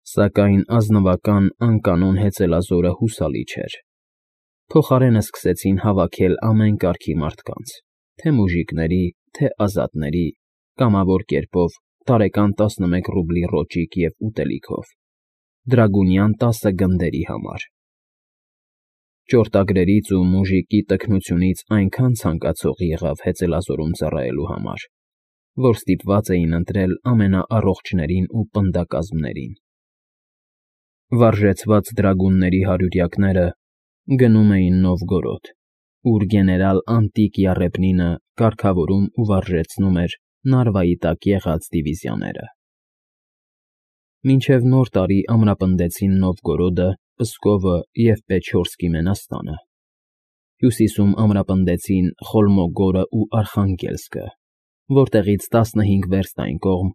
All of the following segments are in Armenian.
Սակայն ազնվական անկանոն հեծելազորը հուսալի չէր։ Փոխարենը սկսեցին հավաքել ամեն կարգի մարդկանց, թե մուժիկների, թե ազատների, կամավոր կերպով, տարեկան 11 ռուբլի ռոճիկ և ուտելիքով, դրագունյան 10 գնդերի համար։ Ճորտագրերից ու մուժիկի տքնությունից այնքան ցանկացող եղավ հեծելազորում ծառայելու համար, որ ստիպված էին ընտրել ամենաառողջներին ու պնդակազմներին։ Վարժեցված դրագունների հարյուրյակները գնում էին Նովգորոդ, ուր գեներալ Անտիկիա Ռեպնինը կարգավորում ու վարժեցնում էր Նարվայի տակ եղած դիվիզիաները։ Մինչև Նոր տարի ամրապնդեցին Նովգորոդը, Պսկովը և Պեչորսկի Մենաստանը։ Հյուսիսում ամրապնդեցին Խոլմոգորը ու Արխանգելսկը, որտեղից 15 վերստ այն կողմ,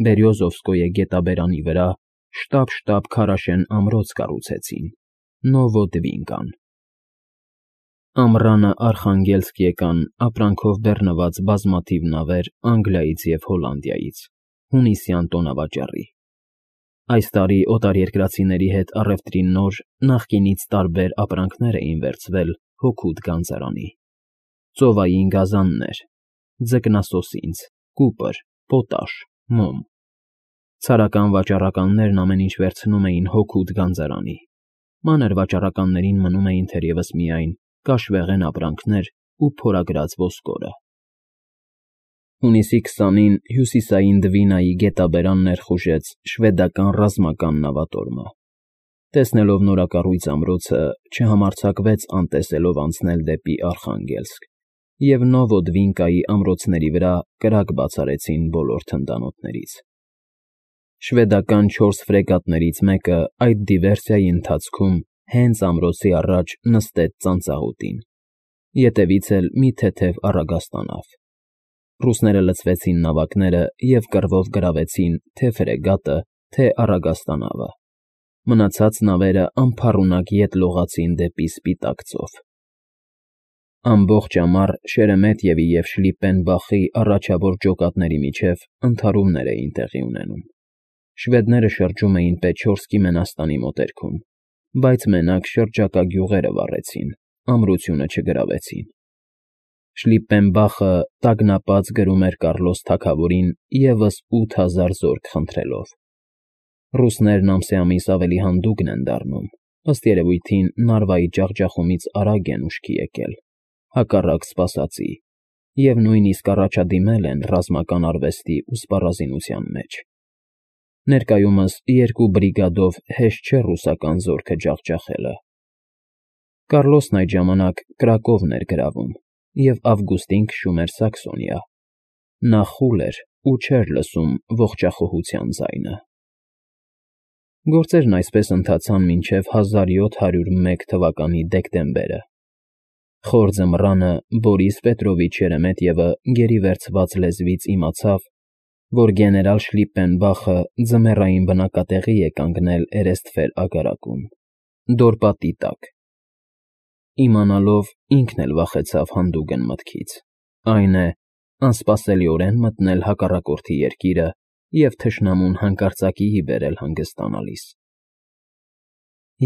Բերյոզովսկոյե գետաբերանի վրա, շտապ քարաշեն ամրոց կառուցեցին՝ Նովոդվինկան։ Ամռանը Արխանգելսկ եկան ապրանքով բեռնված բազմաթիվ նավեր Անգլիայից և Հոլանդիայից՝ հունիսյան տոնավաճառի։ Այս տարի օտարերկրացիների հետ առևտրի նոր, նախկինից տարբեր ապրանքներ էին վերցվել Հոգուտ գանձարանի. ծովային գազաններ, ձկնասոսինձ, կուպր, պոտաշ, մոմ։ Ցարական վաճառականներն ամեն ինչ վերցնում էին Հոգուտ գանձարանի, մանր վաճառականներին մնում էին թերևս միայն կաշվեղեն ապրանքներ ու փորագրած ոսկորը։ Հունիսի 20-ին հյուսիսային Դվինայի գետաբերան ներխուժեց շվեդական ռազմական նավատորմը։ Տեսնելով նորակառույց ամրոցը, չհամարձակվեց անտեսելով անցնել դեպի Արխանգելսկ, և Նովոդվինկայի ամրոցների վրա կրակ բացառեցին բոլոր թնդանոթներից։ Շվեդական 4 ֆրեգատներից մեկը այդ դիվերսիայի ընթացքում հենց ամրոցի առաջ նստեց ծանծաղուտին, ետևից էլ մի թեթև առագաստանավ։ Ռուսները լցվեցին նավակները և կռվով գրավեցին թե՛ ֆրեգատը, թե՛ առագաստանավը։ Մնացած նավերը անփառունակ ետ լողացին դեպի Սպիտակ ծով։ Ամբողջ ամառ Շերեմետևի և Շլիպպենբախի առաջավոր ջոկատների միջև ընդհարումներ էին տեղի ունենում։ Շվեդները շրջում էին Պեչորսկի Մենաստանի մոտերքում, բայց մենակ շրջակա գյուղերը վառեցին, ամրությունը չգրավեցին։ Շլիպպենբախը տագնապած գրում էր Կառլոս թագավորին ևս 8000 զորք խնդրելով։ Ռուսներն ամսեամիս ավելի հանդուգն են դառնում, ըստ երևույթին Նարվայի ջախջախումից արագ են ուշքի եկել, հակառակ սպասածի, և նույնիսկ առաջադիմել են ռազմական արվեստի ու սպառազինության մեջ։ Ներկայումս 2 բրիգադով հեշտ չէ ռուսական զորքը ջախջախելը։ Կառլոսն այդ ժամանակ Կրակովն էր գրավում և Ավգուստին քշում էր Սաքսոնիա։ Նա խուլ էր ու չէր լսում ողջախոհության ձայնը։ Գործերն այսպես ընթացան մինչև 1701 թվականի դեկտեմբերը։ Խոր ձմռանը Բորիս Պետրովիչ Շերեմետևը գերի վերցված լեզվից իմացավ, որ գեներալ Շլիպպենբախը ձմեռային բնակատեղի է կանգնել Էրեստֆեր ագարակում, Դորպատի տակ։ Իմանալով, ինքն էլ վախեցավ հանդուգն մտքից, այն է, անսպասելիորեն մտնել հակառակորդի երկիրը և թշնամուն հանկարծակիի բերել հանգստանալիս։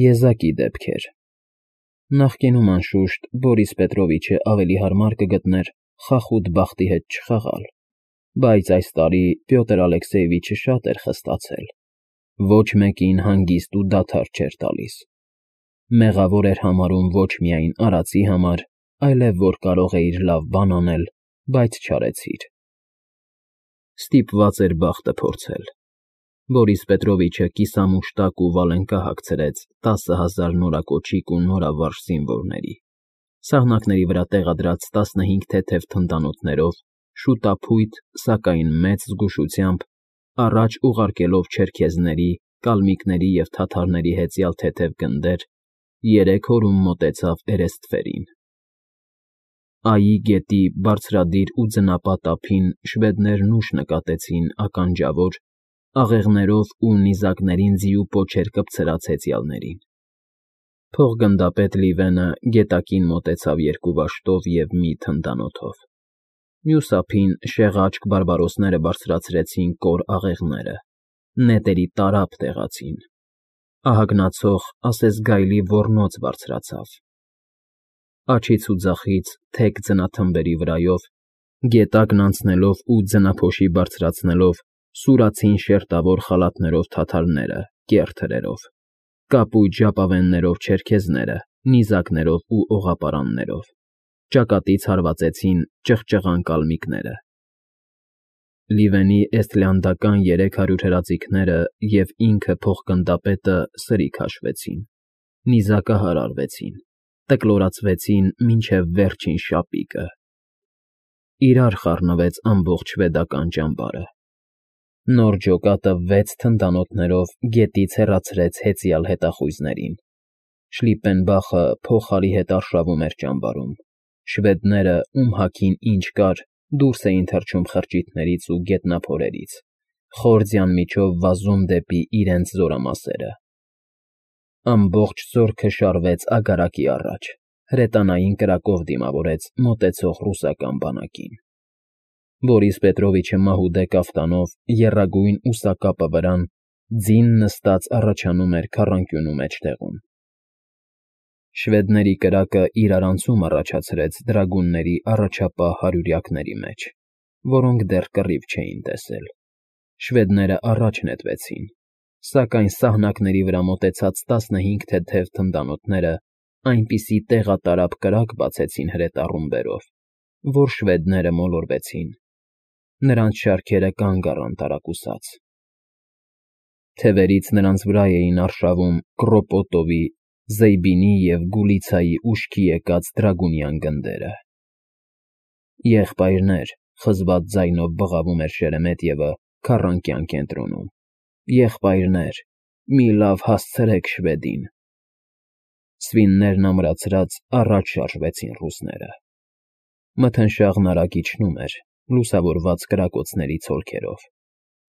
Եզակի դեպք էր։ Նախկինում, անշուշտ, Բորիս Պետրովիչը ավելի հարմար կգտներ խախուտ բախտի հետ չխաղալ, բայց այս տարի Պյոտր Ալեքսեևիչը շատ էր խստացել, ոչ մեկին հանգիստ ու դադար չէր տալիս։ Մեղավոր էր համարում ոչ միայն արածի համար, այլև որ կարող էիր լավ բան անել, բայց չարեցիր։ Ստիպված էր բախտը փորձել։ Բորիս Պետրովիչը կիսամուշտակ ու վալենկա հագցրեց 10,000 նորակոճիկ ու նորավարժ զինվորների, սահնակների վրա տեղադրած 15 թեթև թնդանոթներով, շուտափույթ, սակայն մեծ զգուշությամբ, առաջ ուղարկելով չերքեզների, կալմիկների և թաթարների հեծյալ թեթև գնդեր, 3 օրում մոտեցավ Էրեստֆերին։ Այի գետի բարձրադիր ու ձնապատ ափին շվեդներն ուշ նկատեցին ականջավոր, աղեղներով ու նիզակներին ձիու պոչեր կպցրած հեծյալներին։ Փոխգնդապետ Լիվենը գետակին մոտեցավ 2 վաշտով և մի թնդանոթով։ Մյուս ափին շեղաճք բարբարոսները բարձրացրեցին կոր աղեղները, նետերի տարափ տեղացին, ահագնացող ասես գայլի ոռնոց բարձրացավ, աջից ու ձախից թեք ձնաթմբերի վրայով, գետակն անցնելով ու ձնափոշի բարձրացնելով, սուրացին շերտավոր խալաթներով թաթարները, կեռ թրերով, կապույտ ժապավեններով չերքեզները, նիզակներով ու օղապարաններով, ճակատից հարվածեցին ճղճղան կալմիկները։ Լիվենի էստլիանդական 300 հրաձիգները և ինքը փոխգնդապետը սրի քաշվեցին, նիզակահար արվեցին, տկլորացվեցին մինչև վերջին շապիկը։ Իրար խառնվեց ամբողջ շվեդական ճամբարը։ Նոր ջոկատը 6 թնդանոթներով գետից հեռացրեց հեծյալ հետախույզներին։ Շլիպպենբախը փողարի հետ արշավում էր ճամբարում։ Շվեդները, ում հագին ինչ կար, դուրս էին թռչում խրճիթներից ու գետնափորերից, խոր ձյան միջով վազում դեպի իրենց զորամասերը։ Ամբողջ զորքը շարվեց ագարակի առաջ, հրետանային կրակով դիմավորեց մոտեցող ռուսական բանակին։ Բորիս Պետրովիչը մահուդե կաֆտանով, եռագույն ուսակապը վրան, ձին նստած առաջանում էր քառանկյունու մեջտեղում։ Շվեդների կրակը իրարանցում առաջացրեց դրագունների առաջապահ հարյուրյակների մեջ, որոնք դեռ կռիվ չէին տեսել։ Շվեդները առաջ նետվեցին, սակայն սահնակների վրա մոտեցած 15 թեթև թնդանոթները այնպիսի տեղատարափ կրակ բացեցին հրետառումբերով, որ շվեդները մոլորվեցին։ Նրանց շարքերը կանգ առան տարակուսած։ Թևերից նրանց վրա էին արշավում Կրոպոտովի, Զեյբինի և Գուլիցայի ուշքի եկած դրագունյան գնդերը։ Եղբայրներ, խզված ձայնով բղավում էր Շերեմետյևը քառանկյան կենտրոնում։ Եղբայրներ, մի լավ հասցրեք շվեդին։ Սվիններն ամրացրած առաջ շարժվեցին ռուսները։ Մթնշաղն արագ իջնում էր, լուսավորված կրակոցների ցոլքերով։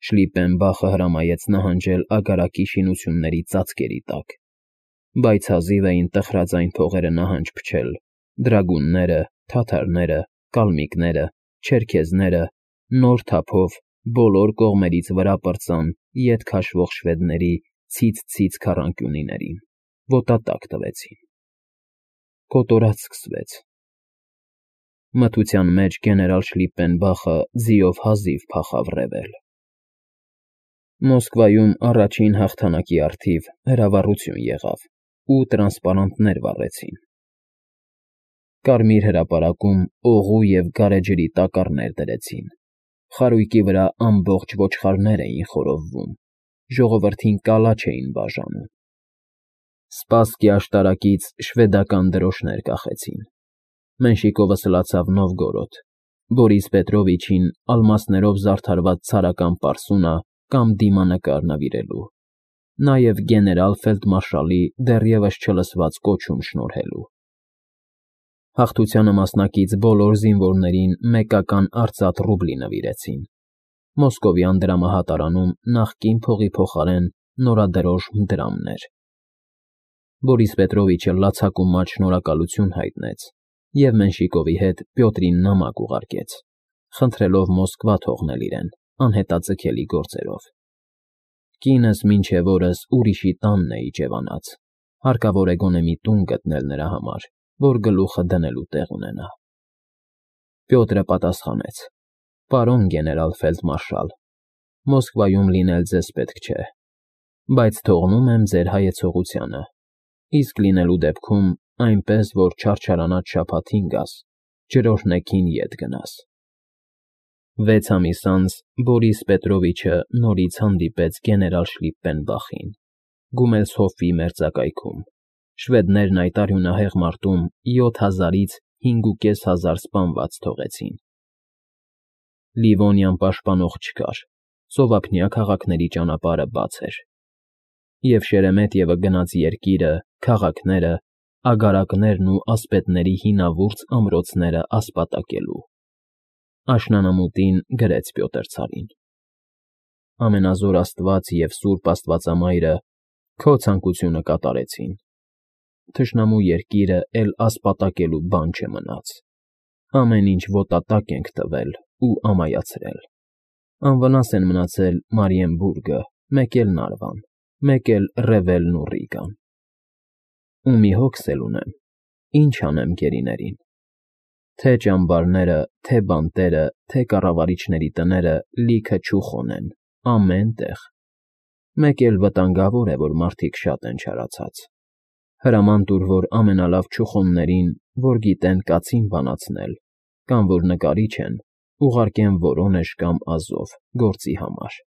Շլիպպենբախը հրամայեց նահանջել ագարակի շինությունների ծածկերի տակ, բայց հազիվ էին տխրաձայն փողերը նահանջ փչել, դրագունները, թաթարները, կալմիկները, չերքեզները նոր թափով բոլոր կողմերից վրա պրծան ետ քաշվող շվեդների ցից քառանկյունիներին, ոտատակ տվեցին։ Կոտորած սկսվեց։ Մթության մեջ գեներալ Շլիպպենբախը ձիով հազիվ փախավ ռևել։ Մոսկվայում առաջին հաղթանակի առթիվ հրավառություն եղավ ու տրանսպարանտներ վառեցին։ Կարմիր հրապարակում օղու և գարեջրի տակառներ դրեցին, խարույկի վրա ամբողջ ոչխարներ էին խորովվում, ժողովրդին կալաչ էին բաժանում։ Սպասկի աշտարակից շվեդական դրոշներ կախեցին։ Մենշիկովը սլացավ Նովգորոդ, Բորիս Պետրովիչին ալմասներով զարդարված ցարական պարսունա կամ դիմանկար նվիրելու, նաև գեներալ֊ֆելդմարշալի դեռևս չլսված կոչում շնորհելու։ Հաղթությանը մասնակից բոլոր զինվորներին մեկական արծաթ ռուբլի նվիրեցին։ Մոսկովյան դրամահատարանում նախկին փողի փոխարեն նորադրոշմ դրամն էր։ Բորիս Պետրովիչը լացակումած շնորհակալություն հայտնեց և Մենշիկովի հետ Պյոտրին նամակ ուղարկեց, խնդրելով Մոսկվա թողնել իրեն անհետաձգելի գործերով։ Կինս մինչև օրս ուրիշի տանն է իջևանած, հարկավոր է գոնե մի տուն գտնել նրա համար, որ գլուխը դնելու տեղ ունենա։ Պյոտրը պատասխանեց. Պարոն գեներալ֊ֆելդմարշալ, Մոսկվայում լինել ձեզ պետք չէ, բայց թողնում եմ ձեր հայեցողությանը, իսկ լինելու դեպքում այնպես, որ չարչարանած շաբաթին գաս, ջրօրհնեքին ետ գնաս։ 6 ամիս անց Բորիս Պետրովիչը նորից հանդիպեց գեներալ Շլիպպենբախին Գումելսհոֆի մերձակայքում։ Շվեդներն այդ արյունահեղ մարտում 7000-ից 5500 սպանված թողեցին։ Լիվոնիան պաշտպանող չկար, ծովափնյա քաղաքների ճանապարհը բաց էր։ Եվ Շերեմետյևը գնաց երկիրը, քաղաքները, ագարակներն ու ասպետների հինավուրց ամրոցները ասպատակելու։ Աշնանամուտին գրեց Պյոտր ցարին. Ամենազոր Աստված և Սուրբ Աստվածամայրը քո ցանկությունը կատարեցին։ Թշնամու երկիրը էլ ասպատակելու բան չմնաց։ Ամեն ինչ ոտատակ ենք տվել ու ամայացրել։ Անվնաս են մնացել Մարիենբուրգը, մեկ էլ Նարվան, մեկ էլ Ռևելն ու Ռիգան։ Ու մի հոգս էլ ունեմ. ինչ անեմ գերիներին։ Թե ճամբարները, թե բանտերը, թե կառավարիչների տները լիքը չուխոն են, ամեն տեղ։ Մեկ էլ վտանգավոր է, որ մարդիկ շատ են չարացած։ Հրաման տուր, որ ամենալավ չուխոններին, որ գիտեն կացին բանացնել, կամ որ նկարիչ են, ուղարկեմ Որոնեժ կամ Ազով գործի համար։